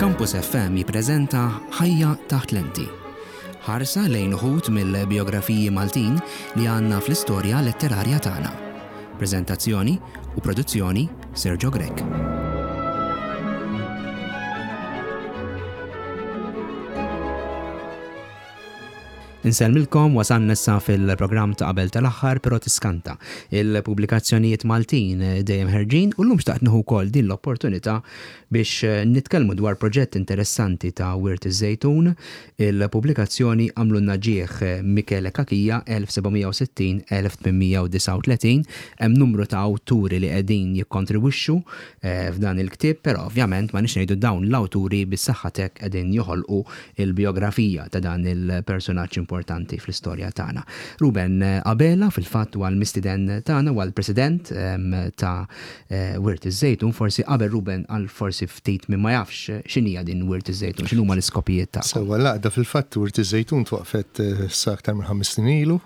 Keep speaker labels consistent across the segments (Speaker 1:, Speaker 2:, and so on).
Speaker 1: Campus FM jippreżenta Ħajja taħt lenti. Ħarsa lejn uħud mill-bijografiji Maltin li għandna fl-istorja letterarja tagħna. Preżentazzjoni u produzzjoni Sergio Grech. Insellmilkom, wasalna issa fil-programm ta' qabel tal-aħħar, però tiskanta. Il-pubblikazzjonijiet Maltin dejjem ħerġin u llum xtaqt nieħu wkoll din l-opportunità biex nitkellmu dwar proġett interessanti ta' Wirt iż-Żejtun, il-pubblikazzjoni Għamlulna Ġieħ Michele Cachia 1760-1839. Hemm numru ta' awturi li qegħdin jikkontribwixxu f'dan il-ktieb, però ovvjament ma nix ngħidu dawn l-awturi bis-saħħa t'hekk qegħdin joħolqu il-bijografija ta' dan il-persunaġġ importanti fl-istorja tagħna. Ruben Abela fil-fatt huwa l-mistieden tagħna, huwa l-President ta' Wirt iż-Żejtun. Forsi qabel Ruben għal forsi ftit min ma jafx x'inhija din Wirt iż-Żejtun, x'inhuma l-iskopijiet tagħkom?
Speaker 2: Sewwa, l-għaqda fil-fatt Wirt iż-Żejtun twaqqfet issa aktar minn ħames snin ilu.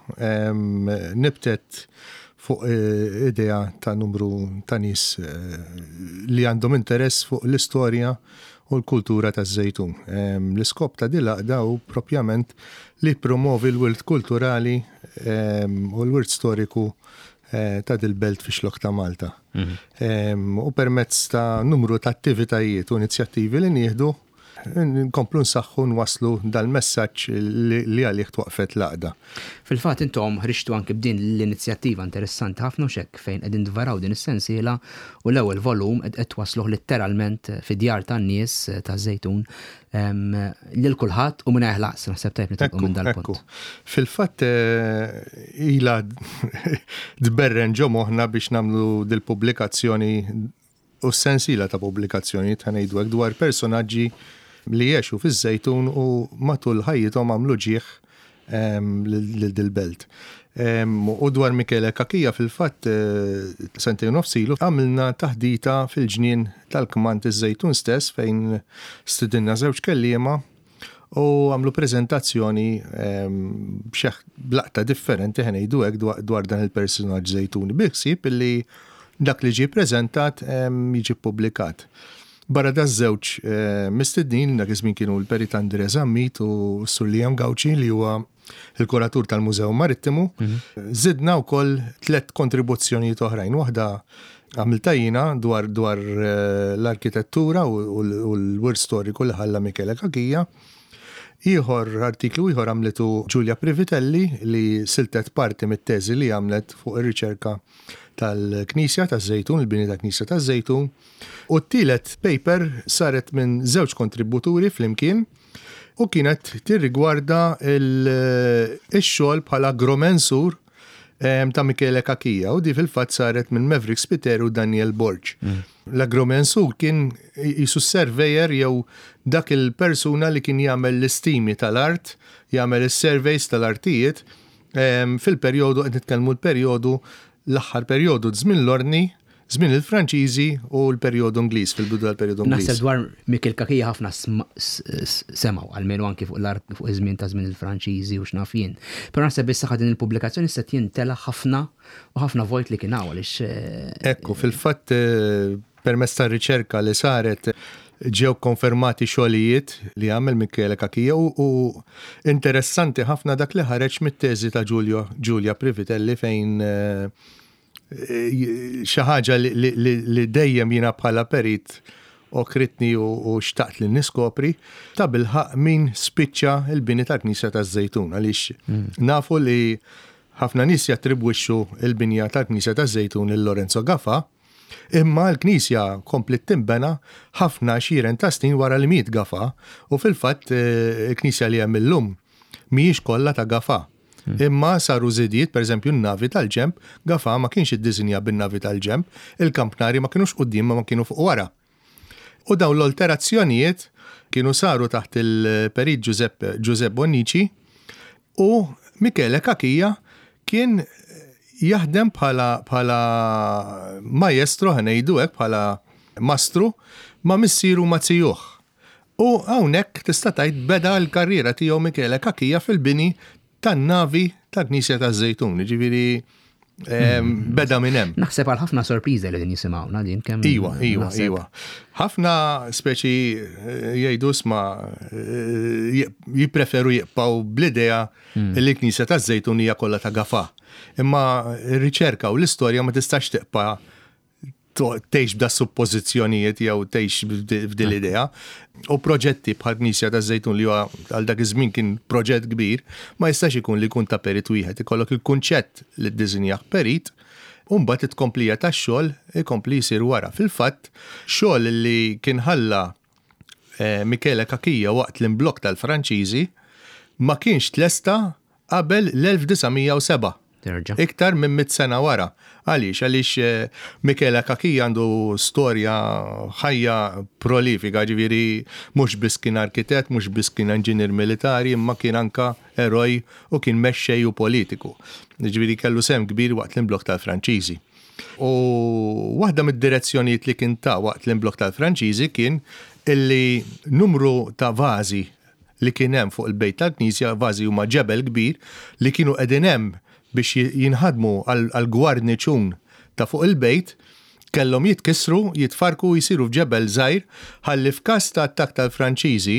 Speaker 2: Nibtet fuq idea ta' numru ta' nies li għandhom interess fuq l-istorja u l-kultura taż-Żejtun. L-iskop ta' din l-għaqda hu propjament li jippromovi l-wirt kulturali u l-wirt storiku ta' dil-belt fix-Xlokk ta' Malta. U permezz ta' numru ta' attivitajiet u inizjattivi li nieħdu, nkomplu nsaħħu nwasslu dal-messaġġ li għalih twaqqfet l-għaqda.
Speaker 1: Fil-fatt intom ħriġtu anki b'din l-inizjattiva interessanti ħafna u x'hekk fejn qegħdin tvaraw din is-sensiela u l-ewwel volum qed twassluh litteralment fid-djar tan-nies taż-Żejtun lil kulħadd u mingħajr ħlas. Naħseb tajjeb nitilqu minn dal-punt.
Speaker 2: Fil-fatt ilha tberren ġo moħħna biex nagħmlu dil-pubblikazzjoni u s-sensiela ta' pubblikazzjonijiet, ħa ngħidu hekk, dwar personaġġi li għexu fiż-Żejtun u matul ħajjithom għamlu ġieħ lil dil-belt. U dwar Michele Cachia fil-fatt sentejn u nofs ilu għamilna taħdita fil-ġnien tal-Kmand iż-Żejtun stess fejn stidinna żewġ kelliema u għamlu preżentazzjoni b'laqta differenti ħa ngħidu hekk dwar dan il-personaġġ Żejtuni bil-ħsieb illi dak li ġie ppreżentat jiġi ppubblikat. Barra daż-żewġ mistednin, dak iż-żmien kienu l-Perit Andre Zammit u s-Sur Liam Gauci li huwa l-kuratur tal-Mużew Marittimu, żidna wkoll tlett kontribuzzjonijiet oħrajn. Waħda għamiltha jiena dwar dwar l-arkitettura u l-wirt storiku li ħalla Michele Cachia. Ieħor, artiklu ieħor għamlitu Giulia Privitelli li siltet parti mit-teżi li għamlet fuq ir-riċerka tal-Knisja taż-Żejtun, il-bini tal-Knisja taż-Żejtun. U t-tielet paper saret minn żewġ kontributuri flimkien u kienet tirrigwarda x-xogħol bħala agromensur ta' Michele Cachia u di fil-fatt saret minn Maverick Spiteri u Daniel Borg. L-agromensur kien qisu surveyor jew dak il-persuna li kien jagħmel l-istimi tal-art, jagħmel is-surveys tal-artijiet fil-perjodu qed nitkellmu l-perjodu l-aħħar perjodu żmien l-Ordni Żmien il-Franċiżi u l-perjodu Ingliż, fil-bidu tal-perjodu Ingliż.
Speaker 1: Naħseb dwar Mikiel Cachia ħafna semgħu, almenu anki fuq l-art fuq iż-żmien ta' żmien il-Franċiżi u x'naf jien. Però naħseb bis-saħħa din il-pubblikazzjoni se jintela' ħafna u ħafna vojt li kien hawn għaliex.
Speaker 2: Ekku, fil-fatt permezz tar-riċerka li saret ġew konfermati xogħlijiet li għamel Michele Cachia u interessanti ħafna dak li ħareġ mit-teżi ta' Giulio Giulia Privitelli fejn xi ħaġa li dejjem jiena bħala perit okritni u xtaqt li niskopri, ta' bilħaq min spiċċa l-bini tal-Knisja taż-Żejtun għaliex hmm. nafu li ħafna nies jattribwixxu l-binja tal-Knisja taż-Żejtun lil Lorenzo Gafa, imma l-Knisja kompliet tinbena ħafna xiren ta' snin wara li miet Gafa u fil-fatt eh, il-Knisja li hemm illum mhijiex kollha ta' Gafa. Imma saru żidiet, pereżempju n-navi tal-ġenb, Gafà ma kienx iddisinja bin-navi tal-ġenb, il-kampnari ma kinux quddiem imma kienu fuq wara. U dawn l-olterazzjonijiet kienu saru taħt il-Perit Giuseppe Giuseppe Bonnici u Michele Cachia kien jaħdem bħala bħala maestro ħa ngħidu hekk bħala mastru ma' missieru ma' zijuh. U hawnhekk tista' tgħid beda l-karriera tiegħu Michele Cachia fil-bini tan-navi tal-Knisja taż-Żejtun. Jiġifieri Beda minn hemm.
Speaker 1: Naħseb għal ħafna sorpriża li din jisimgħuna din
Speaker 2: kemm. Iwa, iwa, iwa. Ħafna speċi eh, jgħidu sma eh, jippreferu jibqgħu bl-idea hmm. li l-Knisja taż-Żejtun hija kollha ta' gafa. Imma r-riċerka u l-istorja ma tistax tibqa' tgħix b'da suppożizzjonijiet jew tgħix f'din l-idea. U proġetti bħal Knisja taż-Żejtun li huwa għal dak iż-żmien kien proġett kbir, ma jistax ikun li jkun ta' perit wieħed. Ikollok il-kunċett li ddisinjah perit, u mbagħad it-tkomplija tax-xogħol ikompli jsir wara. Fil-fatt, xogħol li kien ħalla eh, Michele Cachia waqt l-imblokk tal-Franċiżi ma kienx tlesta qabel l-1907.
Speaker 1: Terġa'.
Speaker 2: Iktar minn mitt sena wara. Għaliex? Għaliex eh, Michele Cachia għandu storja ħajja prolifika, ġifieri mhux biss kien arkitett, mhux biss kien inġinier militari, imma kien anka eroj u kien mexxej u politiku. Ġifieri kellu sehem kbir waqt l-imblokk tal-Franċiżi. U waħda mid-direzzjonijiet li kien ta waqt l-imblokk tal-Franċiżi kien illi numru ta' vażi li kien hemm fuq il-bejt tal-knisja, vażi huma ġebel kbir, li kienu qegħdin hemm biex jinħadmu għall-gwarniċun ta' fuq il-bejt, kellhom jitkissru, jitfarrku u jsiru f'ġebel żgħir ħalli f'każ ta' attakk tal-Franċiżi,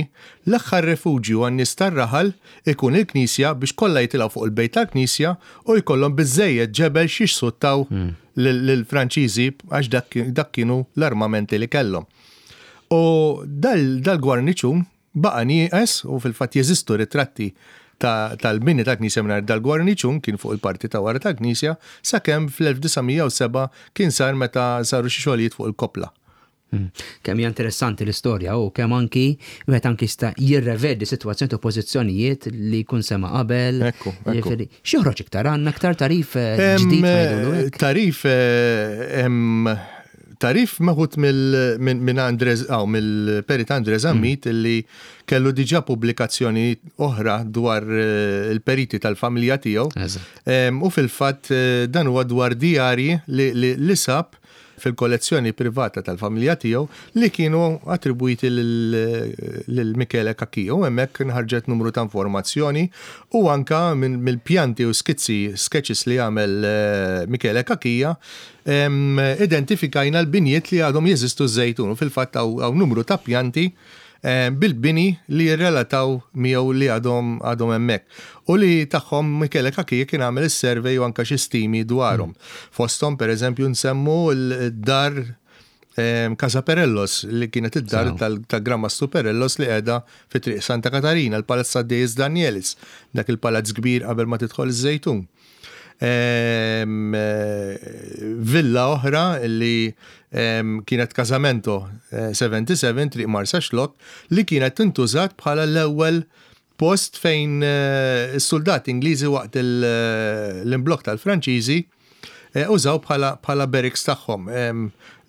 Speaker 2: l-aħħar refuġju għan-nies tar-raħal ikun il-knisja biex kollha jitilgħu fuq il-bejt tal-knisja u jkollhom biżżejjed ġebel x'jixsuttaw lill-Franċiżi għax dak kienu l-armamenti li kellhom. U dal-gwarniċun Baqa' nieqes u fil-fatt jeżistu ritratti tal-bini tal-knisja mingħajr dal-gwarniċun kien fuq il-parti ta' wara tal-knisja sakemm fl-1907 kien sar meta saru xi xogħlijiet fuq il-koppla.
Speaker 1: Hmm. Kemm hija interessanti l-istorja u kemm anki wieħed anki jista' jirrevedi sitwazzjoni u pożizzjonijiet li jkun sema qabel.
Speaker 2: Ekku, ekku.
Speaker 1: X'joħroġ iktar għandna aktar tarif eh, ġdid
Speaker 2: ngħidulu hekk? Tarif eh, hemm Tagħrif meħud minn Andre, mill-Perit Andre Zammit mm. illi kellu diġà pubblikazzjoni oħra dwar eh, il-periti tal-familja tiegħu. U fil-fatt eh, dan huwa dwar dijarji li sab fil-kollezzjoni privata tal-familja tiegħu li kienu attribwiti lil Michele Cachia u hemmhekk nħarġet numru ta' informazzjoni u anka mill-pjanti u skizzi sketches li għamel eh, Michele Cachia Identifikajna l-binjiet li għadhom jeżistu ż-Żejtun u fil-fatt hawn numru ta' pjanti bil-bini li jirrelataw miegħu li għadhom għadhom hemmhekk u li tagħhom Michele Cachia kien għamel is-survey u anke xi stimi dwarhom. Fosthom pereżempju nsemmu d-dar Casa Perellos li kienet id-dar tal-Gran Mastru Perellos li qiegħda fi Triq Santa Katarina, il-Palazz ta' Deis Danielis, dak il-palazz kbir qabel ma tidħol iż-Żejtun. Villa oħra li kienet Casamento 77 eh, Triq Marsaxlokk li kienet tintużat bħala l-ewwel post fejn eh, is-soldati Ingliżi waqt l-imblokk tal-Franċiżi eh, użaw bħala barracks tagħhom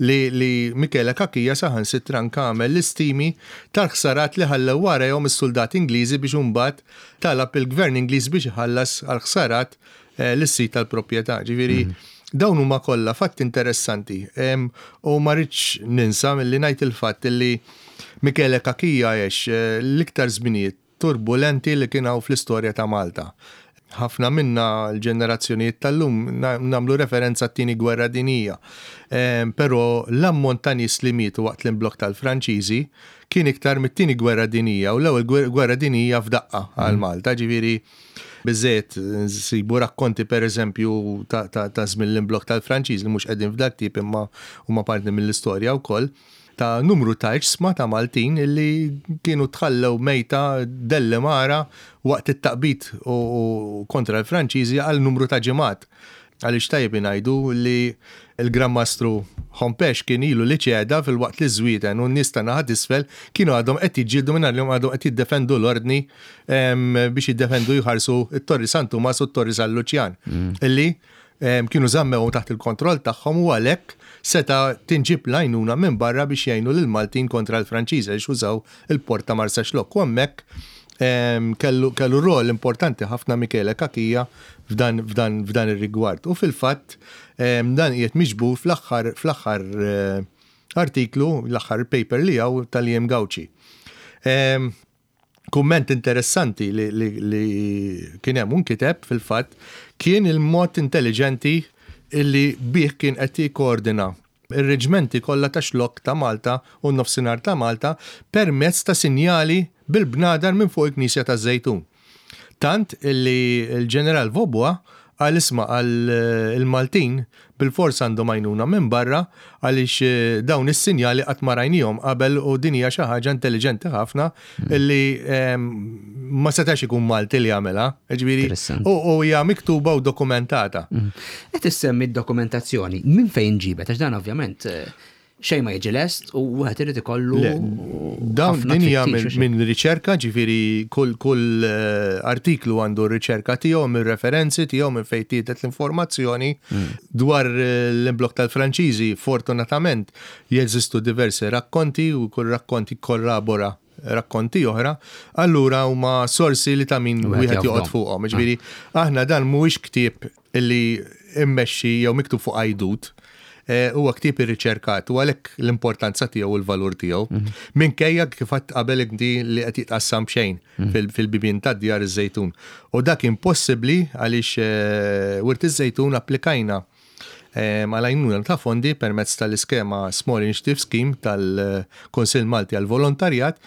Speaker 2: li, li Michele Cachia saħansitra anke għamel l-istimi tal-ħsarat li ħallew warajhom is-suldati Ingliżi biex imbagħad talab il-Gvern Ingliż biex iħallas għall-ħsarat eh, lis-sid tal-proprjetà. Ġifieri mhm. dawn huma kollha fatti interessanti. U ma rridx ninsa milli ngħid il-fatt li Michele Cachia għex eh, l-iktar żminijiet turbulenti li kien hawn fl-istorja ta' Malta. Ħafna minna l-ġenerazzjonijiet tal-lum nagħmlu referenza għat-Tieni Gwerra Dinjija. Però l-ammont ta' nies li mietu waqt l-imblokk tal-Franċiżi kien iktar mit-Tieni Gwerra Dinjija u l-Ewwel Gwerra Dinjija f'daqqa għal Malta. Ġifieri biżżejjed nsibu rakkonti pereżempju ta' żmien l-imblokk tal-Franċiżi li mhux qegħdin f'dal-ktieb imma huma parti mill-istorja wkoll. ta' numru ta' iġsma ta' Maltin illi kienu tħallew mejta dellimara waqt it-taqbid u kontra l-Franċiżi għal numru ta' ġimgħat. Għaliex tajjeb ingħidu li l-Gran Mastru Hompesch kien ilu li ċeda filwaqt li ż-Żwieten u n-nies ta' naħa t'isfel kienu għadhom qed jiġġieldu mingħajr li huma għadhom qed jiddefendu l-Ordni biex jiddefendu jħarsu t-Torri San Tumas u t-Torri San Luċjan illi kienu żammewhom taħt il-kontroll tagħhom u għalhekk seta' tinġieb l-għajnuna minn barra biex jgħinu lill-Maltin kontra l-Franċiżi għaliex użaw il-port ta' Marsaxlokk u hemmhekk kellu kellu rol importanti ħafna Michele Cachia f'dan f'dan f'dan ir-rigward. U fil-fatt dan qiegħed miġbur fl-aħħar fl-aħħar artiklu, l-aħħar paper li hawn tal-EM Gauci. Kumment interessanti li, li, li kien hemm u nkiteb fil-fatt kien il-mod intelligenti illi bih kien qed jikkoordina ir-reġmenti kollha tax-Xlokk ta' Malta u n-Nofsinhar ta' Malta permezz ta' sinjali bil-bnadar minn fuq il-Knisja taż-Żejtun. Tant illi l-Ġeneral Vaubois qal isma' qal il-Maltin bilfors għandhom għajnuna minn barra għaliex dawn is-sinjali qatt ma rajnihom qabel u din hija xi ħaġa intelliġenti ħafna illi ma setax ikun Malti li għamilha. Ġifieri u hija miktuba u dokumentata.
Speaker 1: Qed issemmi d-dokumentazzjoni, minn fejn ġibet? Għax dan ovvjament xejn ma jiġi lest u wieħed irid ikollu.
Speaker 2: Dawn din hija minn riċerka, ġifieri kull kull eh, artiklu għandu r-riċerka tiegħu minn referenzi tiegħu minn fejn tiedet l-informazzjoni mm. dwar eh, l-imblok tal-Franċiżi. Fortunatament jeżistu diversi rakkonti u kull rakkont jikkorrabora rakkonti oħra, allura huma sorsi li ta' min wieħed joqgħod fuqhom. Ġifieri aħna dan mhuwiex ktieb illi immexxi jew miktub fuq għajdut, eh, huwa ktieb irriċerkat u għalhekk l-importanza tiegħu u l-valur tiegħu. Mhm. Minkejja kif għadt qabel inti li qed jitqassam b'xejn mhm. fil-bibien tad-djar iż-Żejtun. U dak impossibbli għaliex eh, Wirt iż-Żejtun applikajna għal għajnuna ta' fondi permezz tal-iskema Small Initiative Scheme tal-Kunsill Malti għall-Volontarjat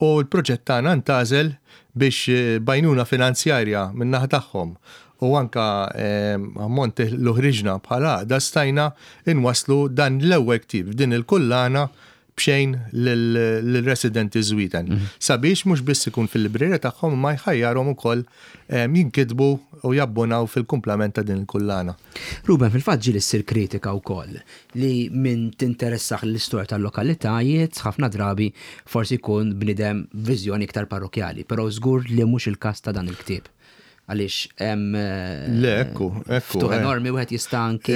Speaker 2: u l-proġett tagħna ntgħażel biex eh, b'għajnuna finanzjarja min-naħa tagħhom u anka ammont li ħriġna bħala għaqda stajna inwasslu dan l-ewwel ktieb f'din il-kullana b'xejn lill-residenti Żwieten sabiex mhux biss ikun fil-librerija tagħhom imma jħajjarhom ukoll jinkitbu u jabbonaw fil-kumplament ta' din il-kullana.
Speaker 1: Ruben, fil-fatt ġieli ssir kritika wkoll li min tinteressah l-istorja tal-lokalitajiet ħafna drabi forsi jkun bniedem b'viżjoni iktar parrokkjali, però żgur li mhux il-każ ta' dan il-ktieb. Għaliex hemm
Speaker 2: Le, ekku, ekku.
Speaker 1: Ftuħ eh. enormi wieħed jista' anki.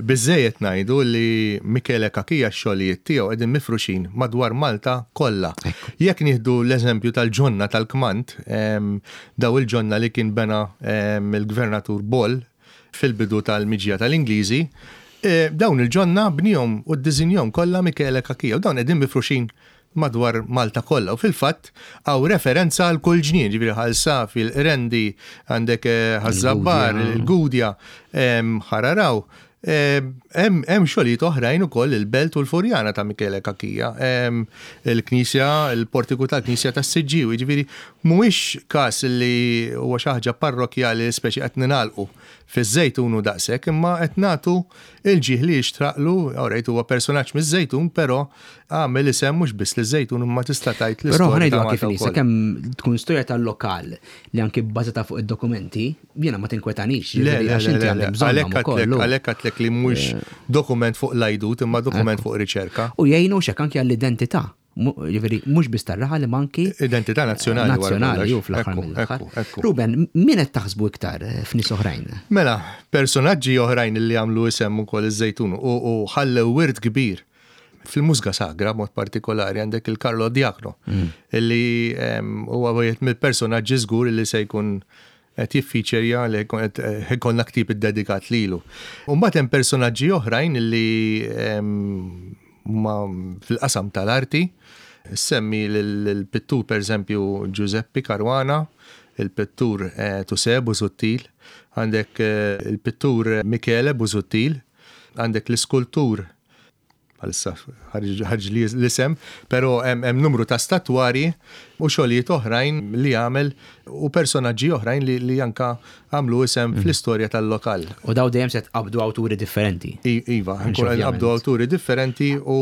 Speaker 2: Biżejjed ngħidu li Michele Cachia x-xogħlijiet tiegħu qegħdin mifruxin madwar Malta kollha. Jekk nieħdu l-eżempju tal-ġonna tal-kmand, daw il-ġonna li kien bena il-Gvernatur Ball fil-bidu tal-miġja tal-Ingliżi, eh, dawn il-ġonna bnihom u ddisinjahom kollha Michele Cachia u dawn qegħdin mifruxin madwar Malta kollha u fil-fatt hawn referenza għal kull ġnien, ġifieri Ħal Safi, il-Qrendi, għandek eh, Ħaż-Żabbar, il-Gudja, Ħararaw. Hemm xogħlijiet oħrajn ukoll il-Belt u l-Furjana ta' Michele Cachia, il-Knisja, il-portiku tal-Knisja tas-Siġġiewi, ġifieri mhuwiex każ li huwa xi ħaġa parrokkjali li speċi qed ningħalqu fiż-Żejtun u daqshekk, imma qed nagħtu l-ġieħ li jixtraqlu, alright huwa personaġġ miż-Żejtun, però għamel isem mhux biss liż-Żejtun imma tista' tgħid
Speaker 1: l-istorja. Però ħa ngħiduha kif inhi, sakemm tkun storja tal-lokal li anki bbażata fuq id-dokumenti, jiena ma tinkwetanix,
Speaker 2: jiġifieri għax inti għandek bżonnhom ukoll. Għalhekk għedtlek li mhuwiex dokument fuq l-għajdut imma dokument fuq riċerka.
Speaker 1: U jgħinu x'hekk anki għall-identità. Ġifieri mhux biss tar-raħal imma anki
Speaker 2: Identità nazzjonali.
Speaker 1: Nazzjonali u fl-aħħar mill-aħħar. Ruben, min qed taħsbu iktar eh, f'nies oħrajn?
Speaker 2: Mela, personaġġi oħrajn li għamlu isem ukoll iż-Żejtun u ħallew wirt kbir fil-mużga sagra mod partikolari għandek il-Carlo Diakno mm. illi huwa wieħed mill-personaġġi żgur li se jkun qed jiffeaturja li qed ikollna ktieb iddedikat lilu. U mbagħad hemm personaġġi oħrajn li huma fil-qasam tal-arti. Semmi l-pittur pereżempju Giuseppe Caruana, il-pittur eh, Tuse Busuttil, għandek eh, il-pittur Michele Busuttil, għandek l-iskultur bħalissa ħarġ li l-isem, però hemm numru ta' statwari u xogħlijiet oħrajn li għamel u personaġġi oħrajn li, li anka għamlu isem mm. fl-istorja tal-lokal.
Speaker 1: U daw dejjem se tqabdu awturi differenti.
Speaker 2: Iva, nqabdu awturi differenti u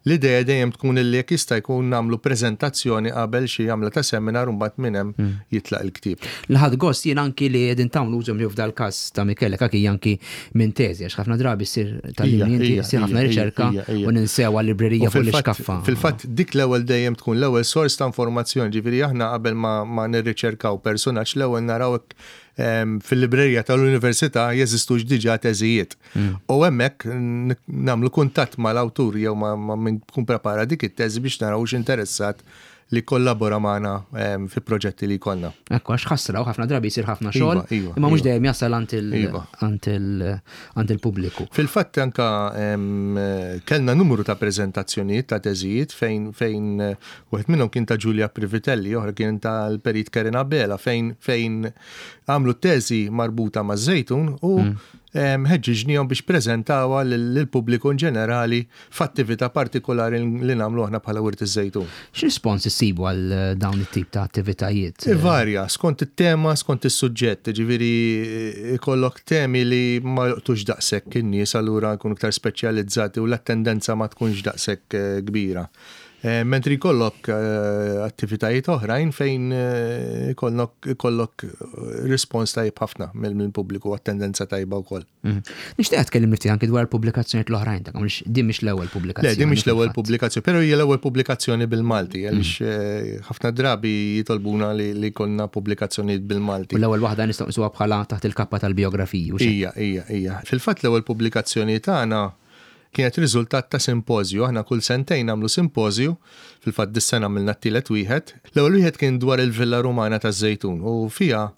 Speaker 2: l-idea dejjem tkun li jekk jista' jkun nagħmlu preżentazzjoni qabel xi għamla ta' seminar u mbagħad minn hemm mm. jitlaq il-ktieb.
Speaker 1: Li ħadt gost jien anki li qegħdin tagħmlu użu f'dal-każ ta' Michele Cachia anki minn teżi għax ħafna drabi ssir tal-linji inti ssir ħafna riċerka u ninsew għal-librerija fuq l-iskaffa.
Speaker 2: Fil-fatt dik l-ewwel dejjem tkun l-ewwel sors ta' informazzjoni, ġifieri aħna qabel ma nirriċerkaw personaġġ l-ewwel naraw hekk fil-librerija tal-università jeżistux diġà teżijiet. Mm. U hemmhekk nagħmlu kuntatt mal-awtur jew ma' min kun prepara dik it-teżi biex naraw interessat li kollabora magħna ehm, fi proġetti li jkollna.
Speaker 1: Ekku, għax ħasra u ħafna drabi jsir ħafna xogħol, iva, iva, imma mhux iva. dejjem jasal iva. għand il-pubbliku.
Speaker 2: Fil-fatt anka ehm, kellna numru ta' preżentazzjonijiet ta' teżijiet fejn fejn wieħed minnhom kien ta' Giulia Privitelli, oħra kien tal-Perit Kerina Bela fejn fejn għamlu teżi marbuta ma' żejtun u mm. Ħeġġiġnihom biex preżentawha lill-pubbliku in ġenerali f'attività partikolari li nagħmlu aħna bħala Wirt iż-Żejtun.
Speaker 1: X'rispons issibu għal dawn it-tip ta' attivitajiet?
Speaker 2: Ivarja, skont it-tema, skont is-suġġett, jiġifieri ikollok temi li ma jolqtux daqshekk in-nies allura jkunu iktar speċjalizzati u l-attendenza ma tkunx daqshekk kbira. Mentri jkollok attivitajiet oħrajn fejn ikollok rispons tajjeb ħafna mill-pubbliku, attendenza tajba wkoll.
Speaker 1: Nixtieq tkellimni ftit anki dwar pubblikazzjonijiet l-oħrajn tagħkom, għaliex din mhix l-ewwel pubblikazzjoni.
Speaker 2: Le, din mhix l-ewwel pubblikazzjoni, però hija l-ewwel pubblikazzjoni bil-Malti, għaliex ħafna drabi jitolbuna li jkollna pubblikazzjonijiet bil-Malti.
Speaker 1: U l-ewwel waħda nistgħu nqisuha bħala taħt il-kappa tal-bijografiji.
Speaker 2: Ija, ija, ija. Fil-fatt l-ewwel pubblikazzjoni tagħna kienet riżultat ta' simpożju. Aħna kull sentejn nagħmlu simpożju, fil-fatt dis-sena għamilna t-tielet wieħed. L-ewwel wieħed kien dwar il-Villa Rumana taż-Żejtun u fiha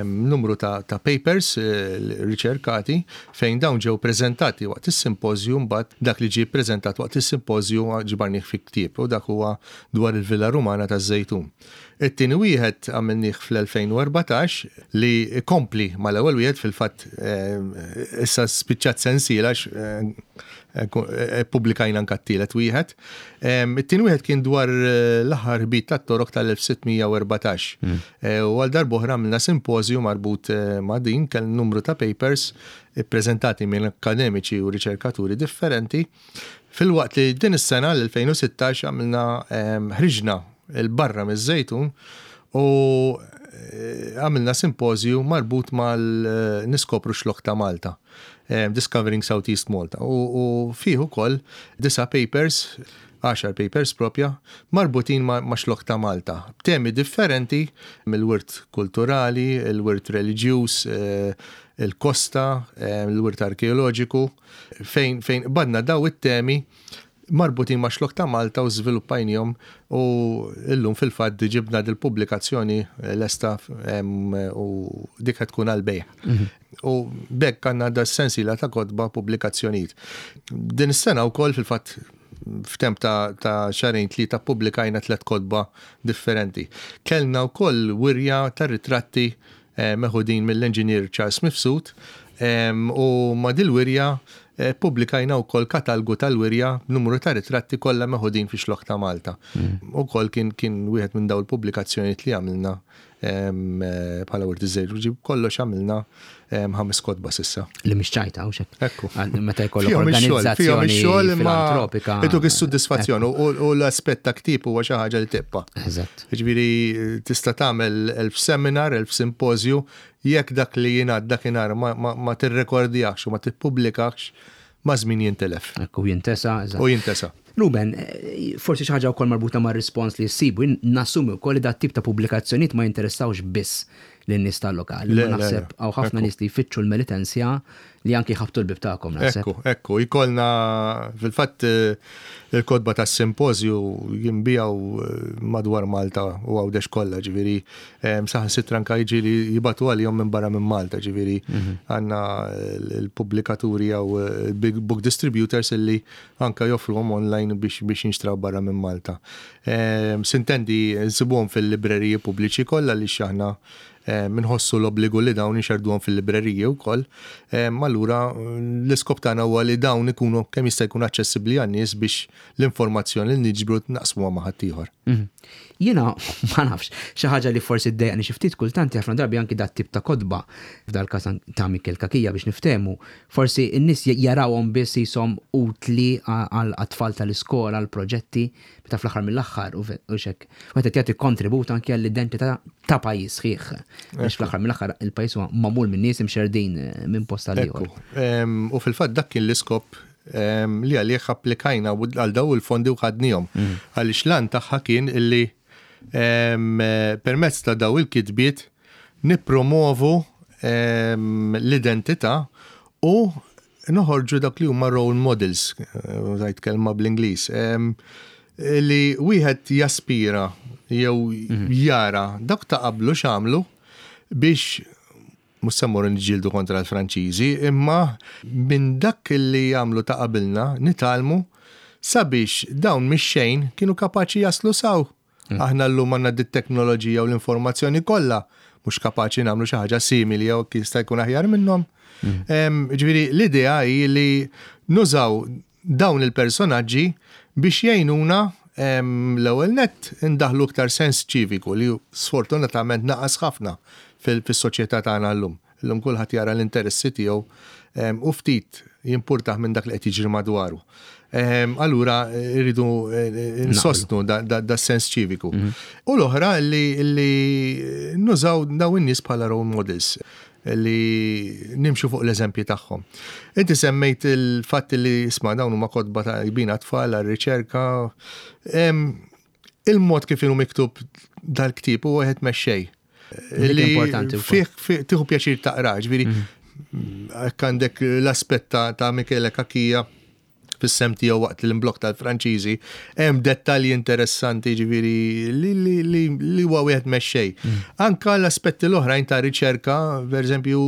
Speaker 2: numru ta' papers riċerkati fejn dawn ġew preżentati waqt is-simpożju mbagħad dak li ġie ppreżentat waqt is-simpożju ġbarnih fi ktieb u dak huwa dwar il-Villa Rumana taż-Żejtun. It-tieni wieħed għamilnih fl-2014 li jkompli mal-ewwel wieħed, fil-fatt issa spiċċat sensiela għax ippubblikajna anke t-tielet wieħed. It-tieni wieħed kien dwar l-aħħar ħbit tat-Torok tal-1614. U għal darb'oħra għamilna simpożju marbut ma' din, kellna numru ta' papers ippreżentati minn akkademiċi u riċerkaturi differenti. Filwaqt li din is-sena l-2016 għamilna ħriġna 'l barra miż-Żejtun u għamilna simpożju marbut mal-Niskopru x-Xlokk ta' Malta, Discovering South East Malta, u fih ukoll disa' papers, għaxar papers propja, marbutin max-Xlokk ta' Malta, b'temi differenti mill-wirt kulturali, il-wirt reliġjuż, il-kosta, il-wirt arkeoloġiku. Fejn fejn qbadna daw it-temi marbutin ma' Xlokk ta' Malta u żviluppajniehom u llum fil-fatt ġibna dil-pubblikazzjoni lesta u dik qed tkun għall-bejgħ. U b'hekk għandna da sensiela ta' kotba pubblikazzjonijiet. Din is-sena wkoll fil-fatt f'temp ta' ta' xahrejn tlieta ppubblikajna tlett kotba differenti. Kellna wkoll wirja ta' ritratti meħudin mill-Enġinier Charles Mifsud u ma' dil-wirja ppubblikajna wkoll katalgu tal-wirja b'numru ta' ritratti kollha meħudin fix-Xlokk ta' Malta. Ukoll kien kien wieħed minn dawn il-pubblikazzjonijiet li għamilna bħala Wirt iż-Żejr. Ġi b'kollox għamilna ħames kotba s'issa.
Speaker 1: Li mhix ċajta, hux hekk?
Speaker 2: Ekku.
Speaker 1: Meta jkollok organizzazzjoni filantropika.
Speaker 2: Ituk is-sodisfazzjon u l-aspett ta' ktieb huwa xi ħaġa li tibqa'.
Speaker 1: Eżatt.
Speaker 2: Jiġifieri tista' tagħmel 1000 seminar, 1000 simpożju, jekk dak li jingħad dakinhar ma tirrekordjahx u ma tippubblikahx, maż-żmien jintilef.
Speaker 1: Ekku, jintesa, eżatt.
Speaker 2: U jintesa.
Speaker 1: Ruben, forsi xi ħaġa wkoll marbuta mar-rispons li ssibu, jien nassumi wkoll li dat-tip ta' pubblikazzjonijiet ma jinteressawx biss lin-nies tal-lokal. Imma naħseb hawn ħafna nies li jfittxu l-Melitensia li anki jħabbtu l-bieb tagħkom
Speaker 2: naħseb. Ekku, ekku, jkollna fil-fatt il-kotba tas-simpożju jinbiegħu madwar Malta u Għawdex kollha, ġifieri saħansitra anke jiġi li jibgħatu għalihom minn barra minn Malta, ġifieri għandna l-pubblikaturi jew big book distributors illi anke joffruhom online biex jinxtraw barra minn Malta. Sintendi nsibuhom fil-libreriji pubbliċi kollha għaliex aħna Inħossu l-obbligu li dawn inxerrduhom fil-libreriji wkoll. Allura l-iskop tagħna huwa li dawn ikunu kemm jista' jkun aċċessibbli għan-nies biex l-informazzjoni li niġbru naqsmuha ma' ħaddieħor.
Speaker 1: Jiena ma nafx, xi ħaġa li forsi ddejjaqni xi ftit kultant ħafna drabi anki dat-tip ta' kotba, f'dal-każ ta' Mikiel Cachia biex niftehmu, forsi n-nies jarawhom biss qishom utli għat-tfal tal-iskola, għall-proġetti, Meta fl-aħħar mill-aħħar u hekk, wieħed qed jagħti kontribut anke għall-identità ta' pajjiż sħiħ. Biex fl-aħħar mill-aħħar il-pajjiż huwa magħmul minn nies imxerrdin minn post għal ieħor.
Speaker 2: U fil-fatt dak kien l-iskop li għalih applikajna għal daw il-fondi u ħadnihom. Għaliex l-għan tagħha kien illi permezz ta' daw il-kitbiet nippromovu l-identità u noħorġu dak li huma role models, użajt kelma bl-Ingliż, li wieħed jaspira jew jara dak ta' qablu x'għamlu biex mhux se mmorru niġġieldu kontra l-Franċiżi, imma minn dak li għamlu ta' qabilna nitgħallmu sabiex dawn mix-xejn kienu kapaċi jaslu s'hawn. Aħna llum għandna dit-teknoloġija u l-informazzjoni kollha. mhux kapaċi nagħmlu xi ħaġa simili jew jista' jkun aħjar minnhom. Ġifieri l-idea hi li nużaw dawn il-personaġġi biex jgħinuna l-ewwel nett indaħħlu iktar sens ċiviku li sfortunatament naqas ħafna fis-soċjetà tagħna llum. Illum kulħadd jara l-interessi tiegħu u ftit jimpurtah minn dak li qed jiġri madwaru. Allura rridu nsostnu da sens ċiviku. U l-oħra li nużaw dawn in-nies bħala role models li nimxu fuq l-eżempji tagħhom. Inti semmejt il-fatt li isma' dawn huma kotba ta' jbina tfal għar-riċerka. Il-mod kif inhu miktub dal-ktieb huwa wieħed mexxej.
Speaker 1: Li importanti.
Speaker 2: Fih tieħu pjaċir taqra, ġifieri hekk għandek l-aspett ta' Michele Cachia fis-sehem tiegħu waqt l-imblokk tal-Franċiżi, hemm dettalji interessanti ġifieri li huwa wieħed mexxej. Anka l-aspetti l-oħrajn ta' riċerka, pereżempju,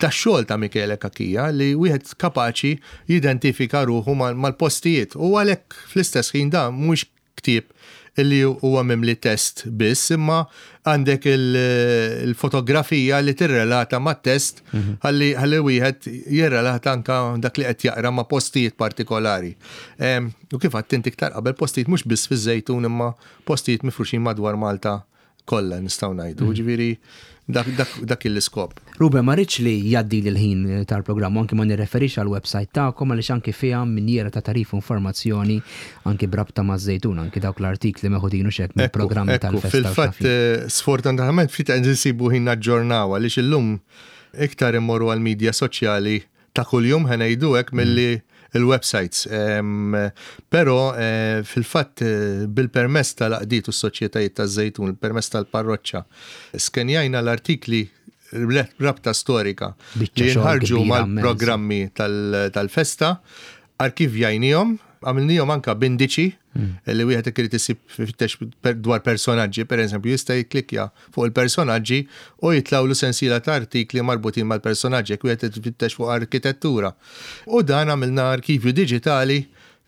Speaker 2: tax-xogħol ta' Michele Cachia li wieħed kapaċi jidentifika ruħu mal-postijiet u għalhekk fl-istess ħin dan mhuwiex ktieb li huwa mimli test biss, imma għandek il-fotografija li tirrelata mat-test ħalli ħalli wieħed jirrelata anka dak li qed jaqra ma' postijiet partikolari. U kif għedt inti iktar qabel postijiet mhux biss fiż-Żejtun imma postijiet mifruxin madwar Malta kollha nistgħu ngħidu. Ġifieri dak l-iskop.
Speaker 1: Ruben, ma rridx li jgħaddi l-ħin tal-programm, anki ma nirreferix għal website tagħkom għaliex anki fiha minjiera ta' tagħrif u informazzjoni anki b'rabta maż-Żejtun, anki dawk l-artikli meħudin u xek mill-programmi tal-festa.
Speaker 2: Fil-fatt, sfortunatament ftit qed insibu ħin naġġornaw għaliex illum iktar immorru għall-medja soċjali ta' kuljum ħa ngħidu hekk milli il-websites. Però fil-fatt bil-permess tal-għaqdiet u s-soċjetajiet taż-Żejtun, il-permess tal-parroċċa, skenjajna l-artikli rabta storika li jinħarġu mal-programmi tal-festa, arkivjajnihom, għamilnihom anka b'indiċi li wieħed jekk irid isib fittex dwar personaġġi, per eżempju, jista' jikklikkja fuq il-personaġġi u jitlgħulu sensiela ta' artikli marbutin mal-personaġġi jekk wieħed ifittex fuq arkitettura. U dan għamilna arkivju diġitali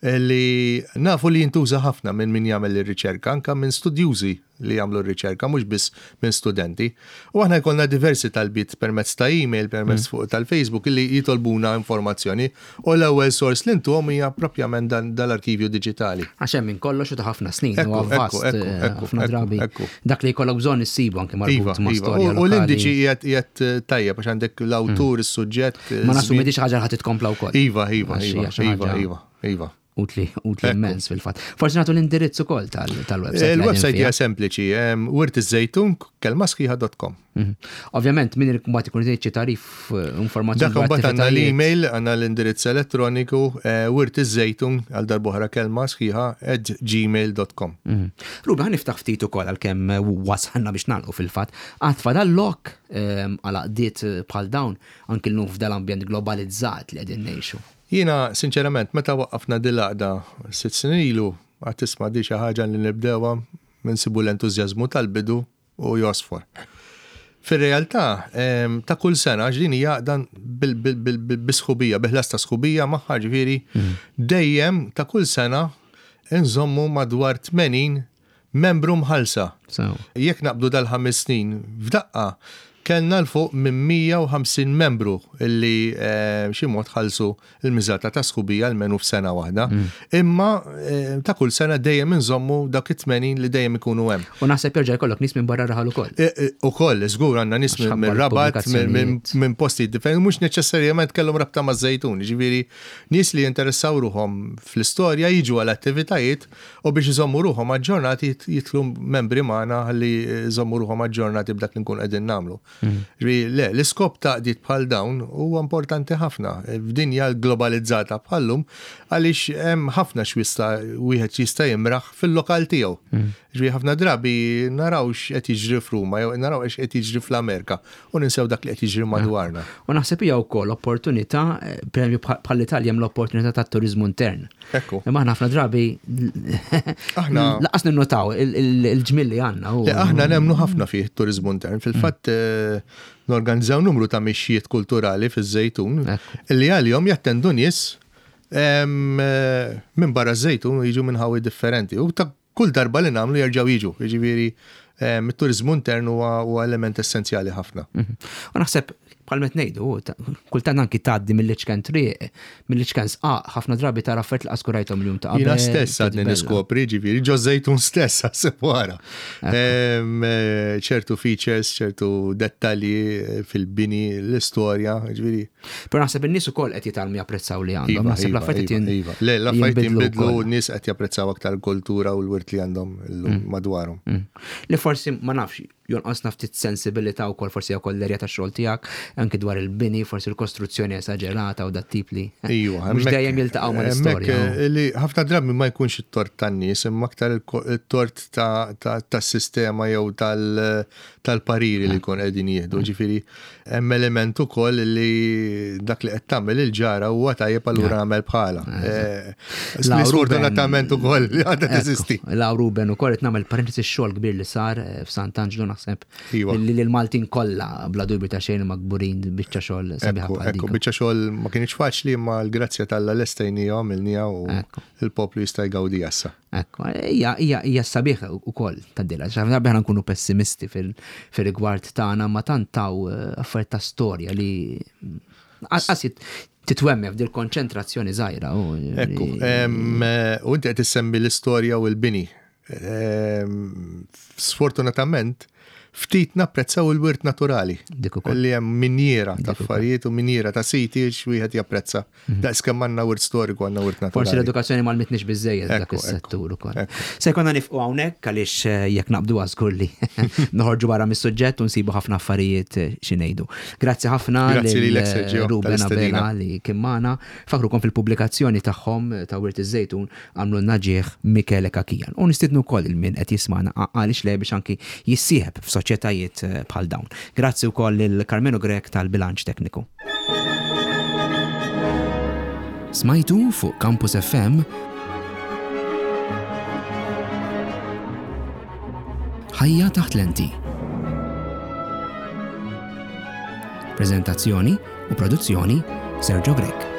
Speaker 2: li nafu li jintuża ħafna minn min jagħmel ir-riċerka, anka minn studjużi li jagħmlu r-riċerka, mhux biss minn studenti. U aħna jkollna diversi talbiet permezz ta' email, permezz fuq tal-Facebook li jitolbuna informazzjoni u l-ewwel sors li ntuhom hija propjament dal-arkivju diġitali.
Speaker 1: Għax hemm minn kollox u ta' ħafna snin, huwa vast, ħafna drabi. Dak li jkollok bżonn issibu anke marbut ma' storja.
Speaker 2: U l-indiċi qiegħed tajjeb għax għandek l-awtur, is-suġġett.
Speaker 1: Ma nassumi di xi ħaġa li ħadd titkompla wkoll.
Speaker 2: Iva, iva, iva, iva, iva, iva.
Speaker 1: Utli, utli immens fil-fatt. Forsi nagħtu l-indirizz ukoll tal-website.
Speaker 2: Il-website hija sempliċi, wirtiżżejtun kelma sħiħa.com.
Speaker 1: Ovvjament, min irid mbagħad ikun irid xi tagħrif informazzjoni.
Speaker 2: Dak imbagħad għandna l-email, għandna l-indirizz elettroniku wirtiżżejtun għal darb'oħra kelma sħiħa at gmail.com.
Speaker 1: Ruben, ħa niftaħ ftit ukoll għalkemm wasalna biex nagħlqu fil-fatt. Għad fadal lok għal għaqdiet bħal dawn anki llum f'dal-ambjent globalizzat li qegħdin ngħixu.
Speaker 2: Jiena, sinċerament, meta waqqafna din l-għaqda 6 snin ilu, għad tisma' di xi ħaġa li nibdewha, insibu l-entużjażmu tal-bidu u jgħosfor. Fir-realtà, ta' kull sena, għax din hija għaqda bi sħubija, bi ħlas ta' sħubija magħha, ġifieri, dejjem ta' kull sena nżommu madwar 80 membru mħallsa. Jekk naqbdu dal-ħames snin f'daqqa, kellna 'l fuq minn 150 membru li b'xi mod ħallsu l-miżata ta' sħubija almenu f'sena waħda. Imma ta' kull sena dejjem inżommu dawk it-80 li dejjem ikunu hemm.
Speaker 1: U naħseb jerġa' jkollok nies minn barra r-raħal ukoll.
Speaker 2: Ukoll, żgur għandna nies mir-Rabat, minn postijiet differenti, mhux neċessarjament kellhom rabta maż-Żejtun, jiġifieri nies li jinteressaw ruħhom fl-istorja jiġu għal attivitajiet U biex iżommu ruħhom aġġornati jidħlu membri magħna ħalli jżommu ruħhom aġġornati b'dak li nkunu qegħdin nagħmlu. Ġifieri le, l-iskop ta' għaqdiet bħal dawn huwa importanti ħafna f'dinja globalizzata bħal-lum għaliex hemm ħafna x'jista' wieħed jista' jimraħ fil-lokal tiegħu. Ġifieri ħafna drabi naraw x'qed jiġri f'Ruma jew naraw x'qed jiġri fl-Amerika u ninsew dak li qed jiġri madwarna.
Speaker 1: U naħseb hija wkoll opportunità, pereżempju bħall-Italja hemm l-opportunità tat-turiżmu intern.
Speaker 2: Ekku.
Speaker 1: Imma aħna ħafna drabi
Speaker 2: Aħna
Speaker 1: laqas ninnotaw il-ġmiel li għandna.
Speaker 2: Aħna nemmnu ħafna fih it-turiżmu intern. Fil-fatt norganizzaw numru ta' mixjiet kulturali fiż-Żejtun li għalihom jattendu nies minn barra ż-Żejtun u jiġu minn ħawi differenti. U ta' kull darba li nagħmlu jerġgħu jiġu. Jiġifieri it-turiżmu intern huwa element essenzjali ħafna.
Speaker 1: Mhm. U naħseb bħal met ngħidu, kultant anki tgħaddi mill-iċken triq, mill-iċken sqaq, ħafna drabi tara affarijiet li qaskurajthom l-jum ta'
Speaker 2: qabel. Jiena stess għadni niskopri, ġifieri, ġo żejtun stess għasib wara. Eh, ċertu features, ċertu dettalji eh, fil-bini, l-istorja, ġifieri.
Speaker 1: Però naħseb in-nies ukoll qed jitgħallmu japprezzaw li għandhom. Iva, naħseb
Speaker 2: iva, l-affarijiet iva, iva. Le, l-affarijiet jinbidlu n-nies qed japprezzaw aktar kultura u l-wirt li għandhom illum mm. madwarhom.
Speaker 1: Mm. Li forsi ma nafx jonqosna ftit sensibilità wkoll forsi wkoll l-erja tax-xogħol tiegħek, anki dwar il-bini, forsi l-kostruzzjoni esaġerata u dat tip li.
Speaker 2: Iva,
Speaker 1: mhux dejjem jiltaqgħu mal-istorja.
Speaker 2: Eh, li ħafna drabi ma jkunx it-tort tan-nies, imma aktar it-tort tas-sistema jew tal-pariri li jkun qegħdin jieħdu. Mm. Ġifieri hemm element ukoll li dak li qed tagħmel il-ġara huwa tajjeb allura nagħmel bħala. Eh, sfortunatament ukoll li għadha teżisti.
Speaker 1: La Ruben ukoll qed nagħmel parentesi xogħol kbir li sar eh, f'Sant'Anġlu naħseb iva. li l-Maltin kollha bla dubju ta' xejn ma kburin biċċa xogħol
Speaker 2: sabiħa bħal dik. Biċċa xogħol ma kienx faċli imma l-grazzja tal-la lestejnija għamilnija u l-poplu jista' jgawdi issa.
Speaker 1: Ekku, hija hija hija sabiħ ukoll tad-dila. Ħafna drabi aħna nkunu pessimisti fil-rigward tagħna ma tant taw eh, affarijiet ta' storja li qas titwemme f'dil konċentrazzjoni żgħira.
Speaker 2: Ekku, eh, u inti qed issemmi l-istorja u l-bini. Sfortunatament, ftit napprezzaw il-wirt naturali.
Speaker 1: Dik ukoll.
Speaker 2: Li hemm minjiera ta' affarijiet u minjiera ta' siti x'wieħed japprezza. Mhm. Daqs kemm għandna wirt storiku għandna wirt naturali.
Speaker 1: Forsi l-edukazzjoni ma mitniex biżejjed dak is-settur ukoll. Se jkollna nifqu hawnhekk għaliex eh, jekk naqbdu żgur li noħorġu barra mis-suġġett u nsibu ħafna affarijiet eh, xi ngħidu. Grazzi ħafna
Speaker 2: Grazzi lilek Sergio.
Speaker 1: Ruben Abela li kien magħna. Fakrukom fil-pubblikazzjoni tagħhom eh, ta' Wirt iż-Żejtun Għamlulna ġieħ Michele Cachian. U nistiednu wkoll lil min qed jismagħna għaliex le biex anki jissieħeb f'soċjetajiet bħal dawn. Grazzi wkoll lil Karmenu Grech tal-bilanċ tekniku.
Speaker 3: Smajtu fuq Campus FM Ħajja taħt lenti. Preżentazzjoni u produzzjoni Sergio Grech.